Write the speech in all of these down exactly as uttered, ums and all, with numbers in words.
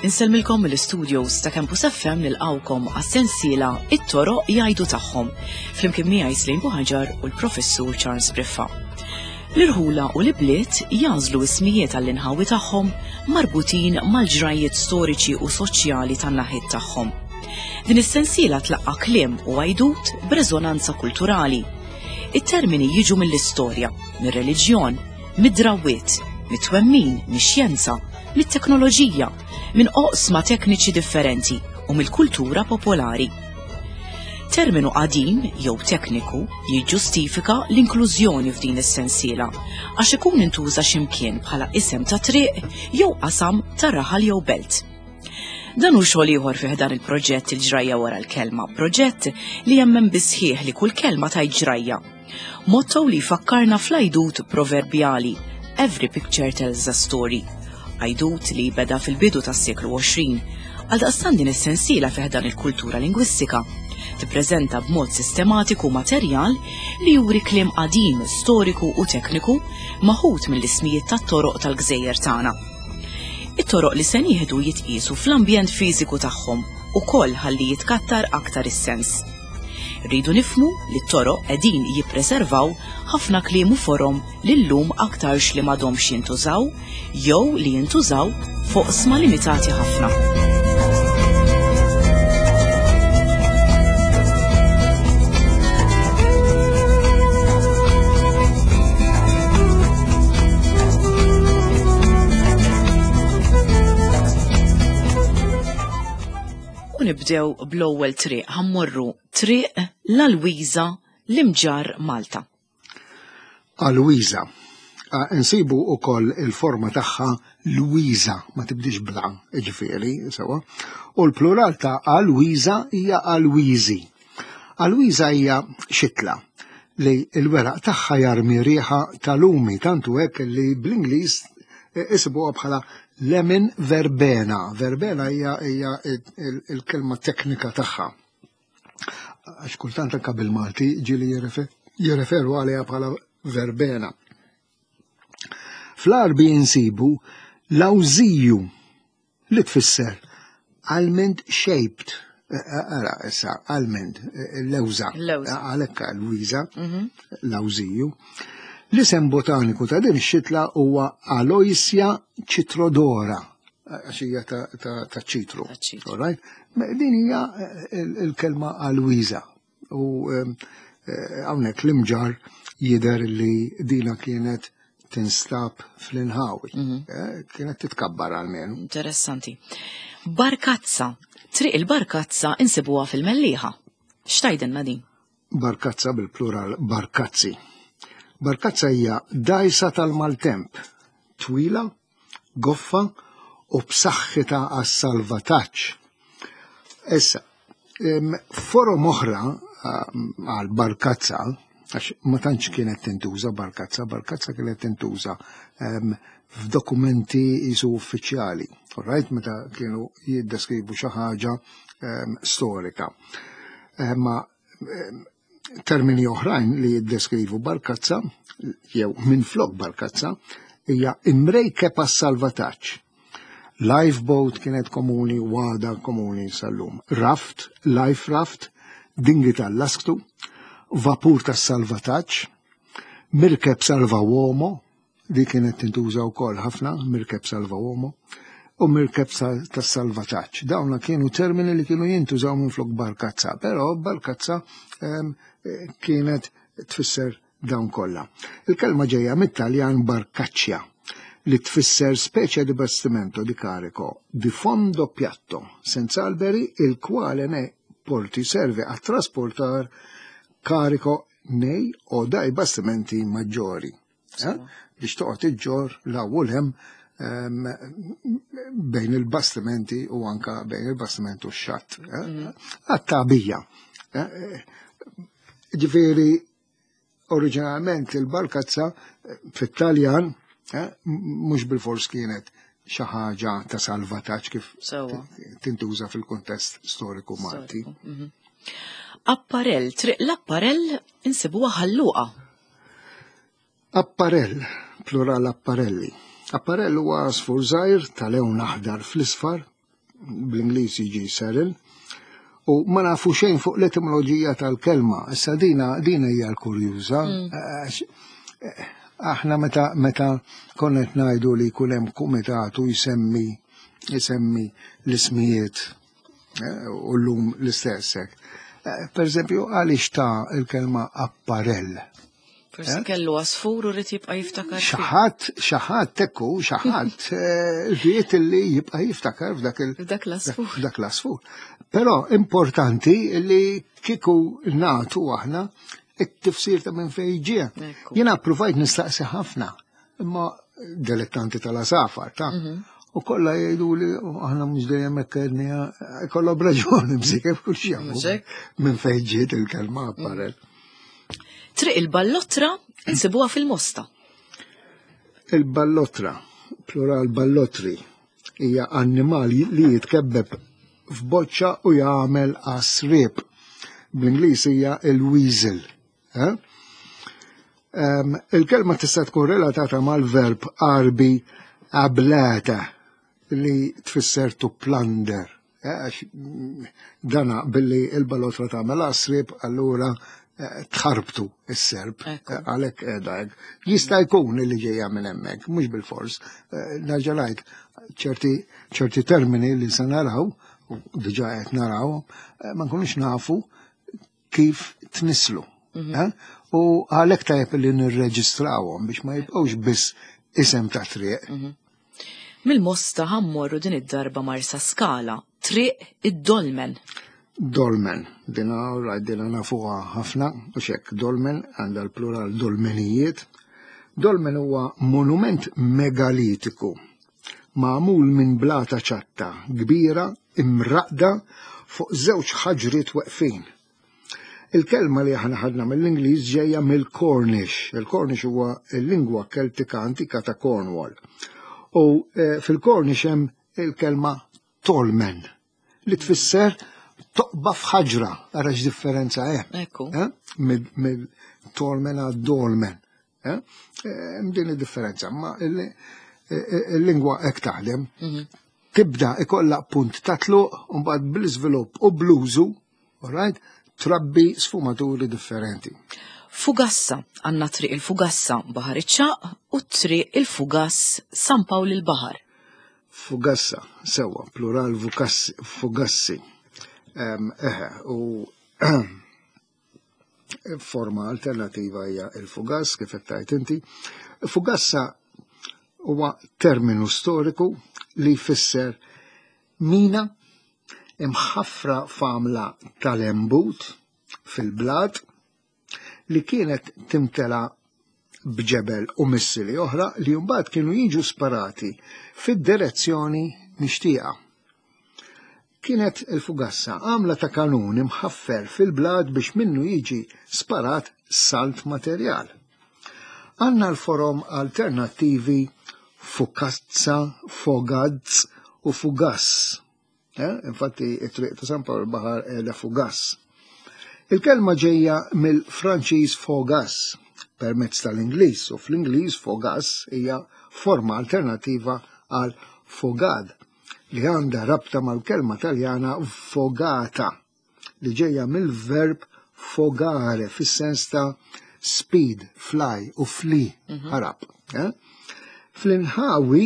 Insellmilkom mill-studios ta' Campus F M nilqawkom għas-sensiela It-Toroq Jgħidu Tagħhom, flimkien miegħi Slim Buhaġar u l-Professur Charles Briffa. L-irħula u l-ibliet jażlu ismijiet għall-inħawi tagħhom marbutin mal-ġrajiet storiċi u soċjali tan-naħiet tagħhom. Din is-sensiela tlaqqa' kliem u għajdut b'reżonanza kulturali. It-termini jiġu mill-istorja, mir-reliġjon, mid-drawwiet, mit-twemmin, mix-xjenza, mit-teknoloġija, minn oqsma tekniċi differenti u mill-kultura popolari. Terminu qadim jew tekniku jiġġustifika l-inklużjoni f'din is-sensiela għax ikun intuża x'imkien bħala isem ta' triq jew qasam ta' raħal jew belt. Dan hu xogħol ieħor fih dan il-proġett Il-Ġrajja Wara l-Kelma, proġett li jemmen bisħieħ li kull kelma tajt ġrajja. Motto li jfakkarna fl-għajdut proverbjali Every picture tells a story. Għajdut li beda fil-bidu tas-seklu għoxrin, għaldaqstant din is-sensiela fih dan il-kultura lingwistika tippreżenta b'mod sistematiku materjal li juri kliem qadim, storiku u tekniku maħut mill-ismijiet tat-toroq tal-gżejjer tagħna. It-toroq li se nieħdu jitqiesu fl-ambjent fiżiku tagħhom ukoll ħalli jitkattar aktar is-sens. Rridu nifhmu li t-toroq qegħdin jippreservaw ħafna kliem u forom li llum aktarx li m'għadhomx jintużaw jew li jintużaw fuq sma limitati ħafna. U nibdew bl-ewwel triq, ħammorru triq l-Alwiża l-Imġarr Malta. Alwiża. Ah, insibu wkoll il-forma tagħha Lwiża, ma tibdix bla, jiġifieri, sewa. U l-plural ta' Alwiża hija Alwiżi. Alwiża hija xitla li l-weraq tagħha jarmi riħa tal-lumi, tantu hekk li bl-Ingliż isibuha bħala lemon verbena. Verbena hija, hija il-kelma teknika tagħha. Għax kultant anke bil-Malti ġieli jirrefe-, jirreferu għaliha bħala verbena. Fl-Għarbi insibu l-awżiju li tfisser almond shaped. Ara, issa, almond, lewża. Lewża. Għalhekk Alwiża, Mhm. l-awżiju. L-isem botaniku ta' din ix-xitla huwa Aloysia citrodora, għax hija ta', ta', ta' ċitru. Ta' ċitru. All right? Din hija il-kelma Alwiża. U, ehm, eh, hawnhekk l-Imġarr jidher li dina kienet tinstab fl-inħawi. Mhm. Eh, kienet titkabbar għalmenu. Interessanti. Barkazza. Triq il-Barkazza insibuha fil-Mellieħa. X'tgħidilna din? Barkazza bil-plural barkazzi. Barkazza hija dajsa tal-maltemp, twila, goffa u b'saħħitha għas-salvataġġ. Issa, em, forom oħra, em, għal barkazza, għax ma tantx kienet tintuża barkazza, barkazza kienet tintuża, em, f'dokumenti jisu uffiċjali, all right, meta kienu jiddeskrivu xi ħaġa, em, storika. Em, ma, em, termini oħrajn li jiddeskrivu barkazza, jew minflok barkazza, hija imrejkeb għas-salvataġġ. Lifeboat kienet komuni, għada komuni sal-lum. Raft, life raft, dingi tal-lasktu, vapur tas-salvataġġ, mirkeb salva uomo, li kienet tintuża wkoll ħafna, mirkeb salva uomo, u mirkeb sa-, tas-salvataġġ. Dawna kienu termini li kienu jintużaw minflok barkazza, però barkazza, ehm, kienet tfisser dawn kollha. Il-kelma ġejja mit-Taljan barcaccia, li tfisser specie di bastimento di carico di fondo piatto, senza alberi, il quale ne porti serve a trasportar carico nei o dai bastimenti maggiori. Sewa. Eh? Biex toqgħod iġġor l-ewwel hemm, ehm, bejn il-bastimenti u anka bejn il-bastiment u x-xatt. Eh? Mhm. Għat-tagħbija. Eh, ġifieri, oriġinalment il-barkazza fit-Taljan, eh, mhux bil-fors kienet xi ħaġa ta' salvataġġ kif Sewwa. tintuża fil-kuntest storiku Malti. Storiku, mhm. Apparell, triq l-apparell insibuha Ħal Luqa. Apparell, plural apparelli. Apparell huwa għasfur żgħir tal-lewn aħdar fl-isfar, bl-Ingliż jiġi serin, u ma nafu xejn fuq l-etimoloġija tal-kelma. Issa dina dina hija l-kurjuża. Għax, eh, Aħna meta meta konna qed ngħidu li jkun hemm kumitat u jsemmi jsemmi l-ismijiet eh, u llum l-istess hekk. Eh, Per eżempju, għaliex ta' il-kelma apparell? Forsi kellu għasfur u ried jibqa' jiftakar. Xi ħadd, xi ħadd ekku, xi ħadd ried li jibqa' jiftakar f'dak il- F'dak l-għasfur. F'dak l-għasfur. Però importanti li kieku nagħtu aħna it-tifsir ta' minn fejn ġie. Ekku. Jiena provajt nistaqsi ħafna, imma dilettanti tal-għasafar, ta' U kollha jgħidu li "Oh, aħna mhux dejjem hekk għedniha, kollha b'raġuni bżikef kull xi Mhux hekk? minn fejn ġiet il-kelma apparel. Triq il-Ballotra insibuha fil-Mosta. Il-ballotra, plural ballotri, hija annimal li jitkebbeb f'boċċa u jagħmel għasrib. Bl-Ingliż hija il-weasel. Eh? Um, il-kelma tista' tkun relatata mal-verb Għarbi ablata li tfisser to plunder. Eh, Għax mm, dana billi il-ballotra tagħmel għasrib, allura eh, tħarbtu is-serp. Ekku. Eh, Għalhekk qiegħda hekk. Jista' jkun li ġejja minn hemmhekk, mhux bil-fors. Eh, Nerġa' ngħid ċerti ċerti termini li se naraw, u diġà qed naraw, eh, ma nkunux nafu kif tnislu. Eh? U għalhekk tajjeb li nirreġistrawhom biex ma jibqgħux biss isem ta' triq. Mill-Mosta ħa mmorru din id-darba Marsa Skala, triq id-Dolmen. Dolmen, dina rajt dina nafuha ħafna, u xek, dolmen għandha l-plural dolmenijiet. Dolmen huwa monument megalitiku, magħmul minn blata ċatta kbira imraqda fuq żewġ ħaġriet weqfin. Il-kelma li aħna ħadna mill-Ingliż ġejja mill-Cornish. Il-Cornish huwa l-lingwa Keltika antika ta' Cornwall. U eh, fil-Cornish hemm il-kelma tolmen li tfisser toqba f'ħaġra, ara x'differenza hemm. Ekku. Eh? Mid- Mill-tolmen għad dolmen. Eh? Eh, Hemm din id-differenza, ma il- eh, il-lingwa hekk taħdem. Tibda ikolla punt ta' tluq u mbagħad bl-iżvilupp u bl-użu, all right, trabbi sfumaturi differenti. Fugassa, għandna triq il-Fugassa Baħar iċ-Ċagħaq u triq il-Fugass San Pawl il-Baħar. Fugassa, sewa, plural fukassi, fugassi. Em, Eħe, u forma alternativa hija il-fugass, kif qed tgħid inti. Fugassa huwa terminu storiku li jfisser mina imħaffra f'għamla tal-embut fil-blat li kienet timtela b'ġebel u missili oħra li mbagħad kienu jiġu sparati fid-direzzjoni mixtieqa. Kienet il-fugassa għamla ta' kanun imħaffer fil-blat biex minnu jiġi sparat salt materjal. Għanna l-forom alternattivi fukazza, fogazz u fugass. Eh? Infatti, it-triq ta' San Pawl Baħar qiegħda fugass. Il-kelma ġejja mill-Franċiż fogas permezz tal-Ingliż u fl-Ingliż fogas hija forma alternativa għal fogad li għandha rabta mal-kelma Taljana fogata li ġejja mill-verb fogare fis-sens ta' speed, fly u flee, ħarab. Eh? Fl-inħawi,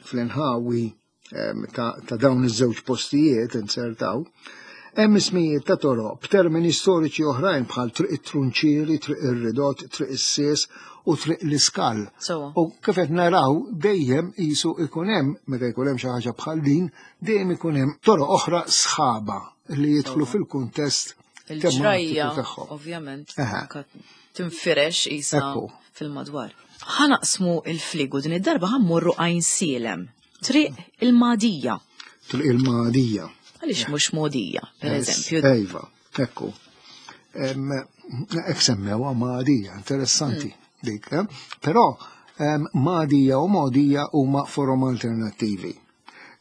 fl-inħawi em, ta', ta' dawn iż-żewġ postijiet insertaw, hemm ismijiet ta' toroq b'termini storiċi oħrajn bħal triq it-Trunċieri, triq ir-Ridot, triq is-Sies u triq l-Iskal. Sewa. U kif qed naraw dejjem qisu ikun hemm meta jkun hemm xi ħaġa bħal din, dejjem ikun hemm toroq oħra sħaba li jidħlu fil-kuntest Il-ġrajja, tematiku tagħhom. ovvjament, Eħe. anka tinfirex isa Ekku. fil-madwar. Ħa naqsmu il-fliegu din id-darba ħa mmorru Għajnsielem. Triq il-Madija. Triq il-Madija. Għaliex mhux Modija, per eżempju. Ejva, ekku. Em, Ek semmewha Madija, interessanti dik. Eh? Però em, Madija u Modija huma forom alternattivi.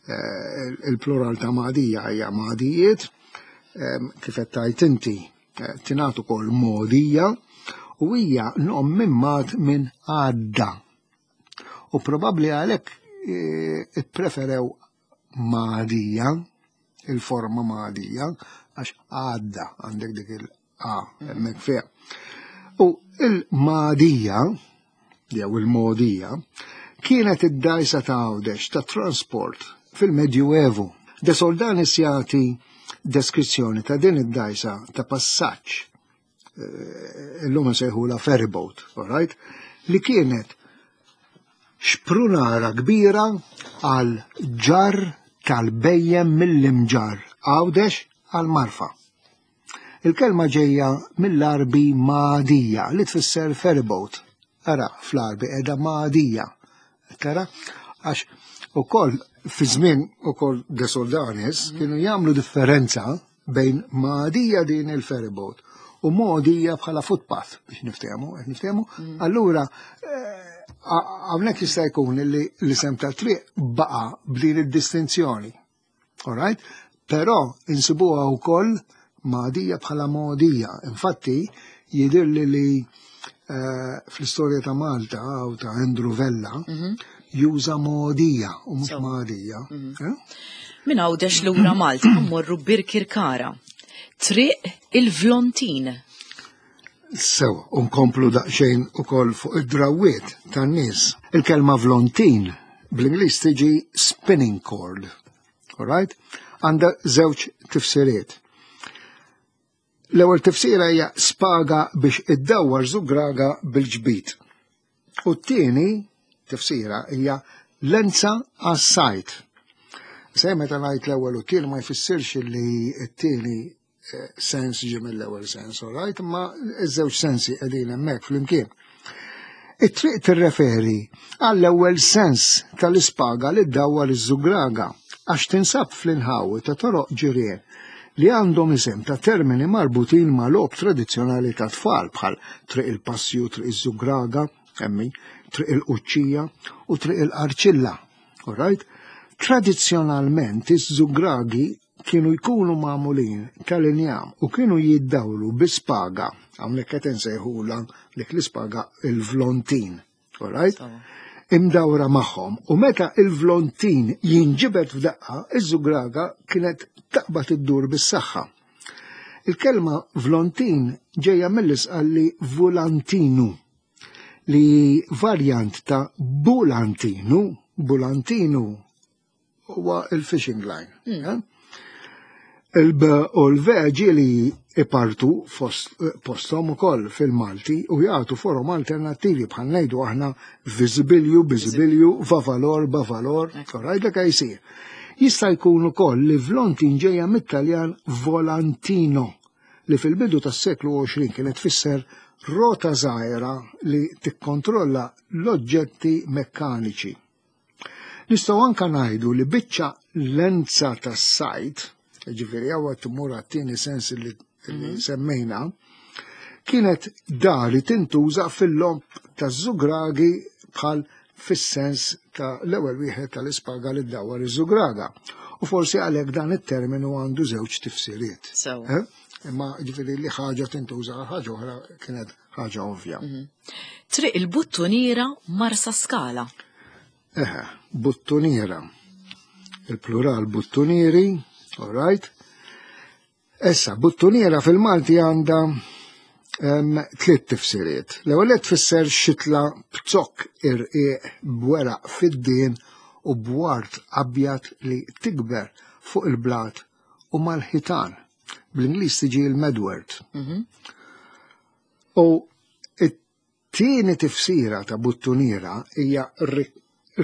Eh, Il-plural ta' Madija hija Madijiet, em, kif qed tgħid inti Eh, tingħad ukoll Mogħdija u hija nom mimmat minn għadda. U probabbli għalhekk eh, ippreferew Magħdija, il-forma Magħdija, għax għadda għandek dik il-A hemmhekk fiha. U il-Magħdija, jew il-Mogħdija, kienet id-dajsa ta' Għawdex ta' transport fil-Medjuevu. De Soldanis jagħti deskrizzjoni ta' din id-dajsa ta' passaġġ, eh, illum nsejħula ferryboat, all right? Li kienet xprunara kbira għal ġar tal-bejjem mill-Imġarr Għawdex għal Marfa. Il-kelma ġejja mill-Arbi Magħdija li tfisser ferryboat. Ara, fl-Arbi edha Magħdija. Tara, għax ukoll fi żmien ukoll De Soldanis kienu jagħmlu differenza bejn Magħdija din il-ferryboat u Mogħdija bħala footpath biex niftehmu, qed niftehmu. Allura eh, hawnhekk jista' jkun li l-isem tat-triq baqa' b'din id-distinzjoni. All right? Però insibuha wkoll Magħdija bħala Mogħdija. Infatti jidhirli li eh, fl-istorja ta' Malta u ta' Andrew Vella juża Mogħdija u mhux So. Magħdija. Eh? Minn Għawdex lura Malta mmorru Birkirkara. Triq il-Vlontin. Sewa, unkomplu daqsxejn ukoll fuq id-drawiet tan-nies. Il-kelma vlontin bl-Ingliż tiġi spinning cord. All right? Għandha żewġ tifsiriet. L-ewwel tifsira hija spaga biex iddawwar żugraga bil-ġbid. U t-tieni tifsira hija lenza għas-sajd. Se meta ngħid l-ewwel u t-tieni ma jfissirx li t-tieni eh, sens ġie mill-ewwel sens, all right? Ma iż-żewġ sensi qegħdin hemmhekk flimkien. It-triq tirreferi għall-ewwel sens tal-ispaga li ddawwar iż-żugraga għax tinsab fl-inħawi ta' toroq ġirien li għandhom isem ta' termini marbutin ma' logħob tradizzjonali ta' tfal bħal triq il-passju, triq iż-żugraga, emmi, triq il-quċċija u triq il-qarċilla. All right? Tradizzjonalment iż-żugragi kienu jkunu magħmulin tal-injam u kienu jiddawlu bi-spaga, hawnhekk qed insejħula dik l-ispaga il-vlontin. All right? Sawa. Imdawra magħhom u meta il-vlontin jinġibed f'daqqa, iż-żugraga kienet taqbad iddur bis-saħħa. Il-kelma vlontin ġejja mill-Isqalli volantinu li varjant ta' bulantinu, bulantinu huwa il-fishing line. eh? Il-B u l-V ġieli ipartu fost- postom ukoll fil-Malti u jagħtu forom alternattivi bħal ngħidu aħna viżibilju, biżibilju, vavalor, bavalor, alright, dak jsir. Jista' jkun ukoll li vlontin ġejja mit-Taljan volantino li fil-bidu tas-seklu għoxrin kienet tfisser rota żgħira li tikkontrolla l-oġġetti mekkaniċi. Nistgħu anka ngħidu li biċċa lenza tas-sajd, ġifieri hawn tmur għat-tieni sens li, li semmejna, kienet dari tintuża fil-logħob taż-żugragi bħal fis-sens ta' l-ewwel wieħed tal-ispaga li ddawwar iż-żugraga. U forsi għalhekk dan it-terminu għandu żewġ tifsiriet. Sewa. Eh? Imma ġifieri li ħaġa tintuża għal ħaġa oħra kienet ħaġa ovvja. Triq il-Buttuniera Marsa Skala. Eħe, buttuniera. Il-plural buttunieri, all right. Issa, buttuniera fil-Malti għandha em, tliet tifsiriet. L-ewwel qed tfisser xitla b'zokk irqiq b'weraq fiddien u b'ward abjad li tikber fuq il-blat u mal-ħitan. Bl-Ingliż tiġi il-madwort. U it-tieni tifsira ta' buttuniera hija ri-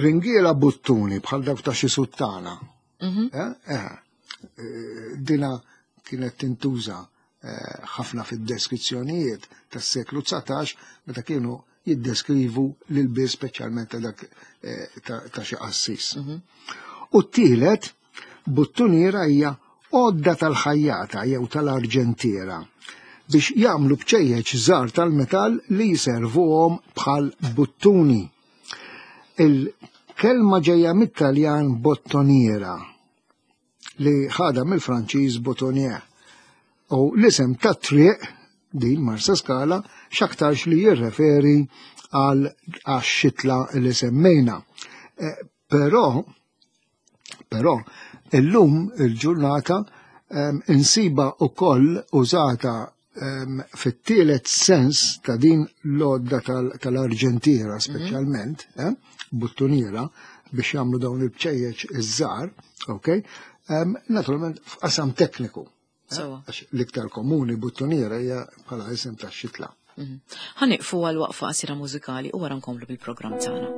ringiela buttuni bħal dawk ta' xi suttana. Eh, eh, eh, Dina kienet tintuża eh, ħafna fid-deskrizzjonijiet tas-seklu dsatax meta kienu jiddeskrivu l-ilbies speċjalment ta' dak eh, ta' ta' xi qassis. U t-tielet buttuniera hija għodda tal-ħajjata jew tal-arġentiera biex jagħmlu bċejjeċ żgħar tal-metall li jservuhom bħal buttuni. Il-kelma ġejja mit-Taljan bottoniera li ħada mill-Franċiż boutonnière. U l-isem ta' triq din Marsa Skala x'aktarx li jirreferi għal għax-xitla li semmejna. Eh, però, però, illum il-ġurnata um, insiba ukoll użata um, fit-tielet sens ta' din l-għodda tal-arġentiera tal speċjalment, mm -hmm. eh, buttuniera, biex jagħmlu dawn il-bċejjeċ iż-żgħar, ok? Um, naturalment f'qasam tekniku. Għax l-iktar komuni buttuniera hija bħala isem ta' xitla. Ħa nieqfu għal waqfa qasira mużikali u wara nkomplu bil-programm tagħna.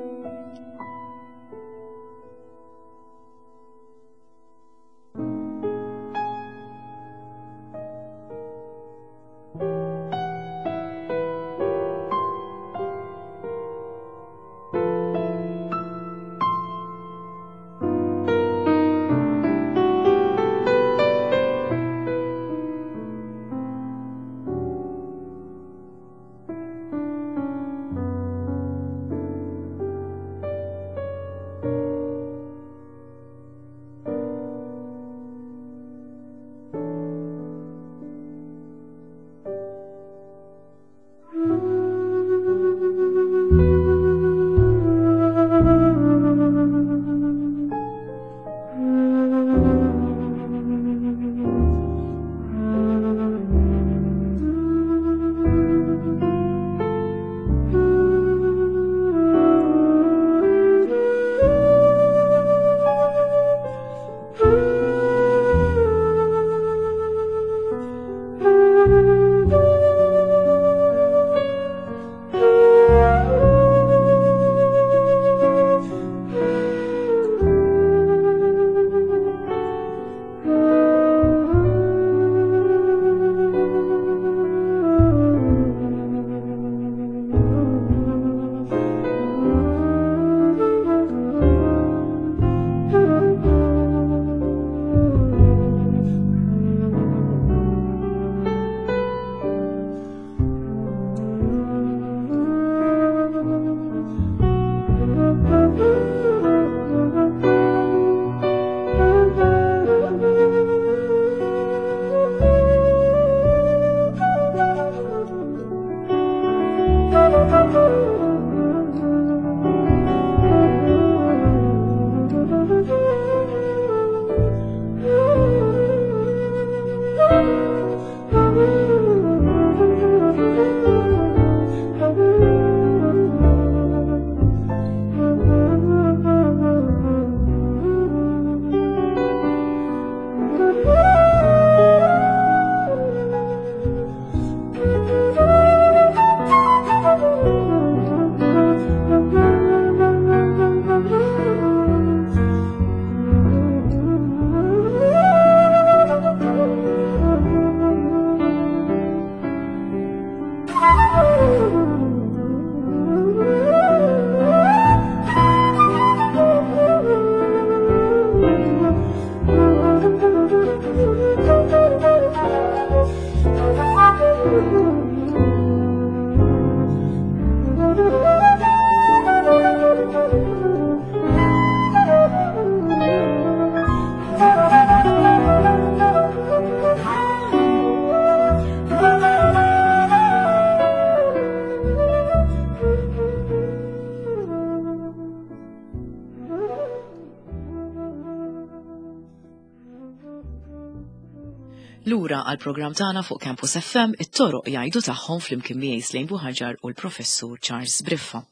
Lura għal programm tagħna fuq Campus F M, it-toroq jgħidu tagħhom flimkien miegħi Slaine Buhagiar u l-Professur Charles Briffa.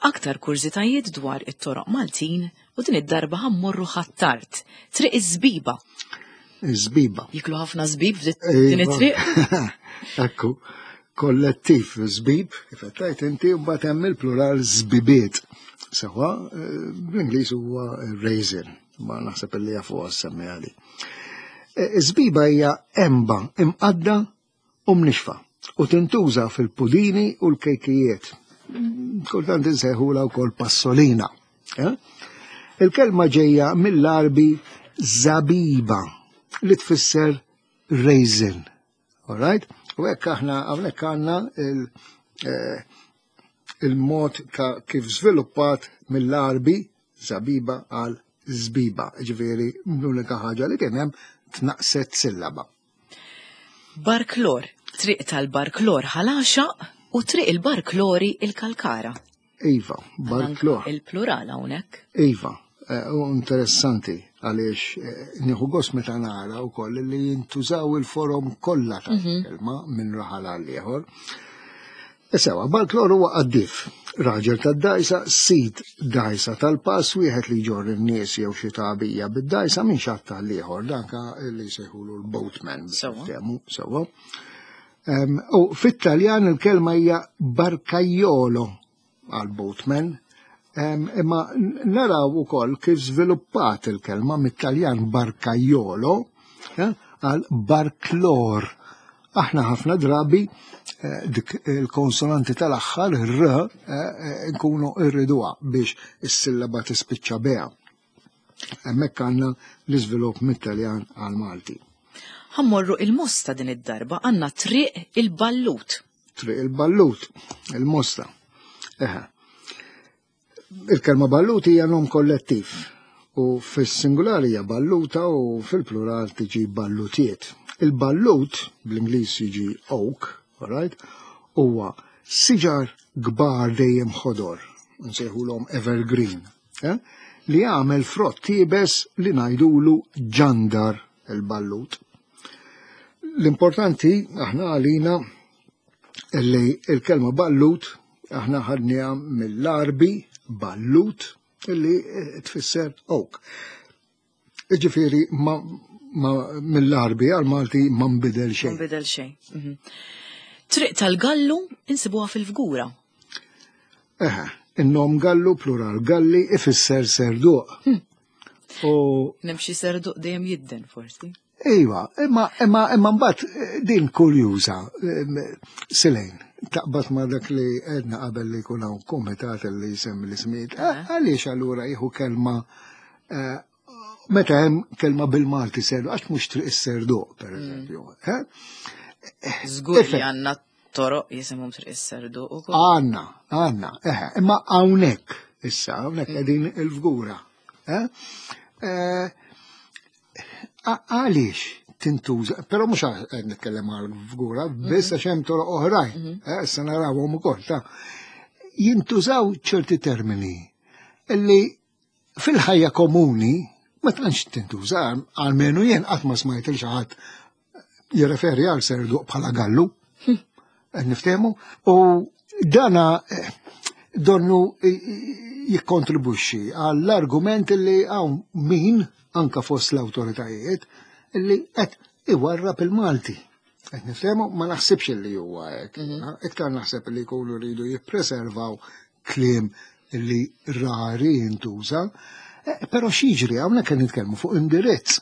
Aktar kurżitajiet dwar it-toroq Maltin u din id-darba ħammorru Ħ'Attard, Triq iż-Żbiba. Iż-Żbiba. Jiklu ħafna żbib f'din it-triq? Ekku, kollettiv żbib, kif qed tgħid inti, u mbagħad hemm il-plural żbibiet. Sewa, bl-Ingliż huwa raisin, ma naħseb li jafu għas-semmi għali. Żbiba hija emba imqadda u mnixfa u tintuża fil-pudini u l-kejkijiet. Kultant insejħulha wkoll passolina. Eh? Il-kelma ġejja mill-Arbi zabiba li tfisser raisin. All right? U hekk aħna hawnhekk għandna il-, eh, il-mod ta' kif żviluppat mill-Arbi zabiba għal żbiba. Ġifieri l-unika ħaġa li kien hemm tnaqset sillaba. Barklor, triq tal-Barklor Ħal Għaxaq u triq il-Barklori il-Kalkara. Iva, Barklor. Il-plural hawnhekk. Iva, eh, u interessanti għaliex eh, nieħu gost meta nara wkoll li jintużaw il-forom kollha tal-kelma minn raħal għal ieħor. Sewa, Barklor huwa qaddif, raġel tad-dajsa, sid dajsa tal-pass, wieħed li jġorr in-nies jew xi tagħbija bid-dajsa minn xatt għal ieħor, danka li jsejħulu l-boatman. Sewa. Temu, sewa. Em, U fit-Taljan il-kelma hija barcaiolo għal boatman, Em, imma naraw ukoll kif żviluppat il-kelma mit-Taljan barcaiolo eh, għal barklor. Aħna ħafna drabi eh, dik il-konsonanti tal-aħħar r eh, eh, nkunu irriduha biex is-sillaba tispiċċa beha. Hemmhekk għandna l-iżvilupp mit-Taljan għal Malti. Ħa mmorru il-Mosta din id-darba għandna triq il-Ballut. Triq il-Ballut, il-Mosta. Eħe. Il-kelma ballut hija nom kollettiv u fis-singolari hija balluta u fil-plural tiġi ballutiet. Il-ballut, bl-Ingliż jiġi oak, alright, huwa siġar kbar dejjem ħodor, nsejħulhom evergreen, eh? li jagħmel frott iebes li ngħidulu ġandar il-ballut. L-importanti aħna għalina li il-kelma ballut aħna ħadniha mill-Arbi ballut illi eh, tfisser oak. Ġifieri ma, ma mill-Arbi għal-Malti ma nbidel xejn. Nbidel xejn. Mhm. Triq tal-Gallu insibuha fil-Fgura. Eħe, in-nom Gallu plural Galli ifisser serduq. U Nemxi serduq dejjem jidden forsi. Iva, imma imma imma mbagħad eh, din kurjuża, em, Silejn, taqbad ma dak li għedna qabel li jkun hawn kumitat li jsemmi l-ismijiet. Għaliex allura jieħu kelma eh, meta hemm kelma bil-Malti serdu, għax mhux triq is-serduq, per eżempju. eh? Żgur li Ifhem. għandna toroq jisimhom triq is-serduq ukoll. Għanna, għanna, eħe, imma hawnhekk issa, hawnhekk qegħdin il-Fgura. eh? Eh, a- Għaliex tintuża, però mhux qed nitkellem għal Fgura, biss għax hemm toroq oħrajn, eh, issa narawhom ukoll ta' jintużaw ċerti termini illi fil-ħajja komuni ma tantx tintuża, almenu jien qatt ma smajt il xi ħadd jirreferi għal serduq bħala gallu. Qed niftehmu? U dana eh, donnu jikkontribwixxi għall-argument li hawn min anka fost l-awtoritajiet li qed iwarrab il-Malti. Qed niftehmu ma naħsibx li huwa hekk. Iktar naħseb li jkunu rridu jippreservaw kliem li rari jintuża, Eh, però x'jiġri hawnhekk qed nitkellmu fuq indirizz.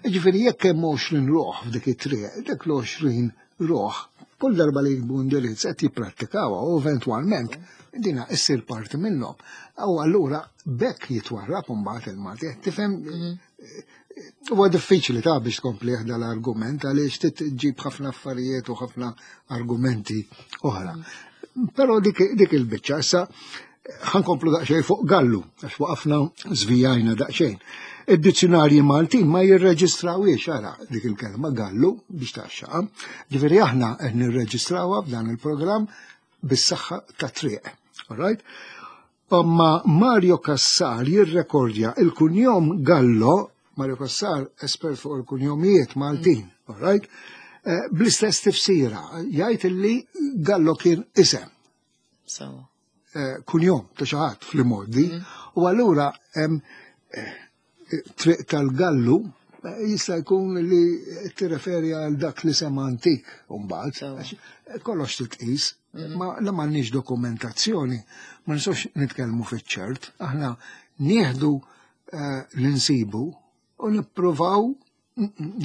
Ġifieri jekk hemm għoxrin ruħ f'dik it-triq, dak l-għoxrin ruħ, kull darba li jiktbu indirizz qed jipprattikawha u eventwalment dina issir parti minnhom. U allura bekk jitwarrab imbagħad il-Malti, qed tifhem huwa diffiċli ta' biex tkompli l-argument għaliex trid ġib ħafna affarijiet u ħafna argumenti oħra. Però dik, dik il-biċċa issa ħa nkomplu daqsxejn fuq Gallu, għax waqafna żvijajna daqsxejn. Id-dizzjonarji Maltin ma jirreġistrawiex ara dik il-kelma Gallu biex taxxaqa. Ġifieri aħna qed nirreġistrawha f'dan il-programm bis-saħħa ta' triq. All right? Imma Mario Cassar jirrekordja il-kunjom Gallo, Mario Cassar espert fuq il-kunjomijiet Maltin, all right? Eh, Bl-istess tifsira, jgħid illi Gallo kien isem So. eh, kunjom ta' xi ħadd fl-modi, u allura hemm eh, triq tal-Gallu eh, jista' jkun li tirreferi għal dak li sema antik mbagħad. Sewa. Għax, eh, Kollox titqis, ma la m'għandniex dokumentazzjoni, ma nistgħux nitkellmu fiċ-ċert, aħna nieħdu eh, l-insibu u nippruvaw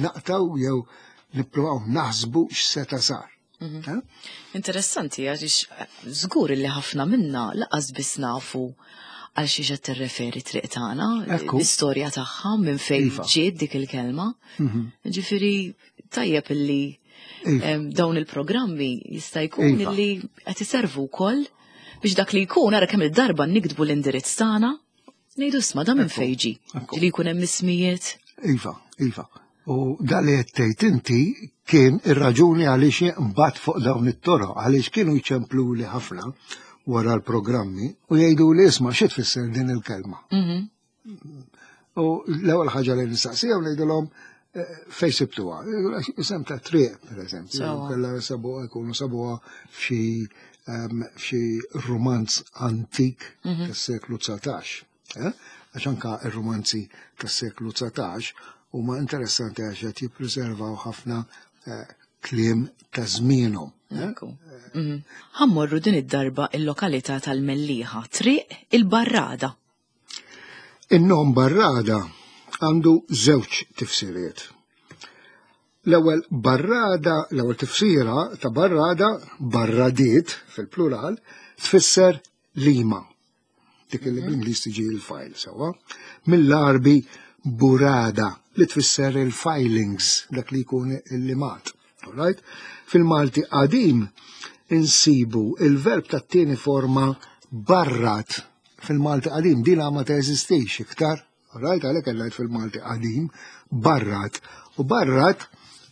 naqtaw jew nippruvaw naħsbu x'seta' sar. Eh? Interessanti, għax żgur li ħafna minna lanqas biss nafu għal xiex qed tirreferi triq tagħna, Ekku. l-istorja tagħha minn fejn Iva. ġiet dik il-kelma. Ġifieri tajjeb illi Iva. em, dawn il-programmi jista' jkun Iva. illi qed iservu wkoll biex dak li jkun ara kemm il-darba niktbu l-indirizz tagħna, ngħidu isma' da minn fejn ġie. Ekku. Li jkun hemm ismijiet. Iva, iva. U dak li qed inti kien ir-raġuni għaliex mbagħad fuq dawn it-toroq, għaliex kienu jċempluli ħafna wara l-programmi u jgħidu li isma' xi tfisser din il-kelma. Mhm. U l-ewwel ħaġa li nistaqsija u ngħidilhom eh, fej sibtuha. Isem ta' triq, per eżempju. Sewwa. Kella sabuha jkunu sabuha f'xi ehm, f'xi romanz antik tas-seklu dsatax. eh? Għax anka ir-romanzi tas-seklu dsatax huma interessanti għax qed jippreservaw ħafna eh, kliem ta' żmienhom. eh? Ekku. Mhm. Ħa mmorru din id-darba il-lokalità tal-Mellieħa, Triq il-Barrada. In-nom Barrada għandu żewġ tifsiriet. L-ewwel barrada, l-ewwel tifsira ta' barrada, barradiet fil-plural, tfisser lima. Dik li bl-Ingliż tiġi il-file sewwa. Mill-Arbi burada li tfisser il-filings, dak li jkun il-limat. Alright? Fil-Malti qadim insibu il-verb tat-tieni forma barrat fil-Malti qadim dina ma teżistix iktar. Alright, għalhekk għedt fil-Malti qadim barrat. U barrat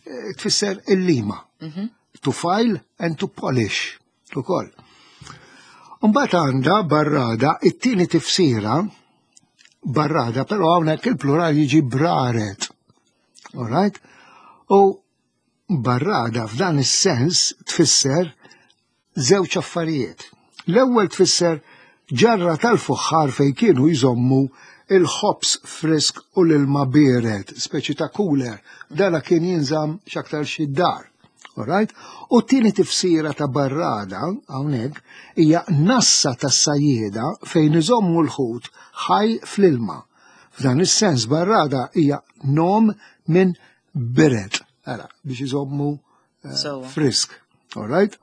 eh, tfisser il-lima. To file and to polish. Ukoll. Mbagħad għandha barrada it-tieni tifsira barrada, però hawnhekk il-plural jiġi braret. Alright? U barrada f'dan is-sens tfisser żewġ affarijiet. L-ewwel tfisser ġarra tal-fuħħar fej kienu jżommu il-ħobs frisk u l-ilma biered, speċi ta' cooler. Dana kien jinżamm x'aktar xi dar. Alright? U t-tieni tifsira ta' barrada hawnhekk hija nassa tas-sajjieda fejn iżommu l-ħut ħaj fl-ilma. F'dan is-sens barrada hija nom minn biret, ara, biex iżommu eh, Sewwa. frisk. Alright?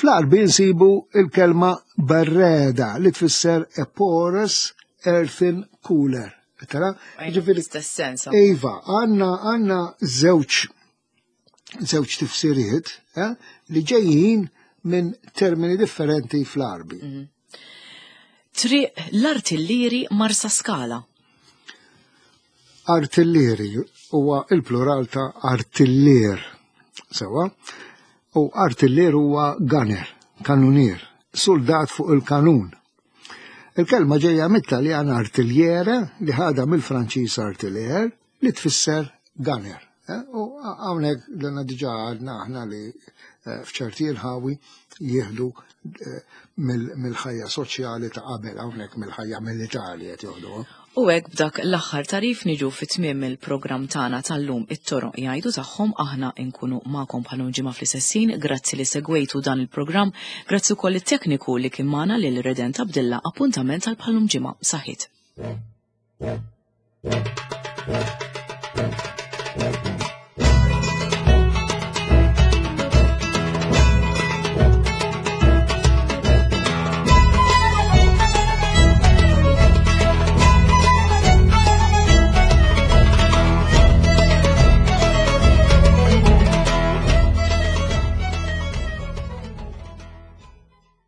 Fl-Arbi nsibu il-kelma barreda li tfisser a porous earthen cooler. Tara? Ġifieri, Istess sens. Iva, għandna għandna żewġ żewġ tifsiriet eh, li ġejjin minn termini differenti fl-Arbi. Triq l-Artillieri Marsaskala. Artillieri huwa il-plural ta' artillier. Sewwa? U artillier huwa gunner, kanunier, soldat fuq il-kanun. Il-kelma ġejja mit-Taljan artigliere li ħadha mill-Franċiż artilleur li tfisser gunner. Eh, U hawnhekk dana diġà għadna aħna li eh, f'ċerti inħawi jieħdu eh, mill- mill-ħajja soċjali ta' qabel hawnhekk mill-ħajja militari qed joħduha. U hekk b'dak l-aħħar tagħrif niġu fi tmiem il-programm tagħna tal-lum it-toroq jgħidu tagħhom aħna nkunu magħkom bħal ġimgħa fl-istess ħin. Grazzi li segwejtu dan il-programm, grazzi wkoll it-tekniku li kien magħna lil Redent Abdilla appuntament għal bħal ġimgħa. Saħħit. Thank you.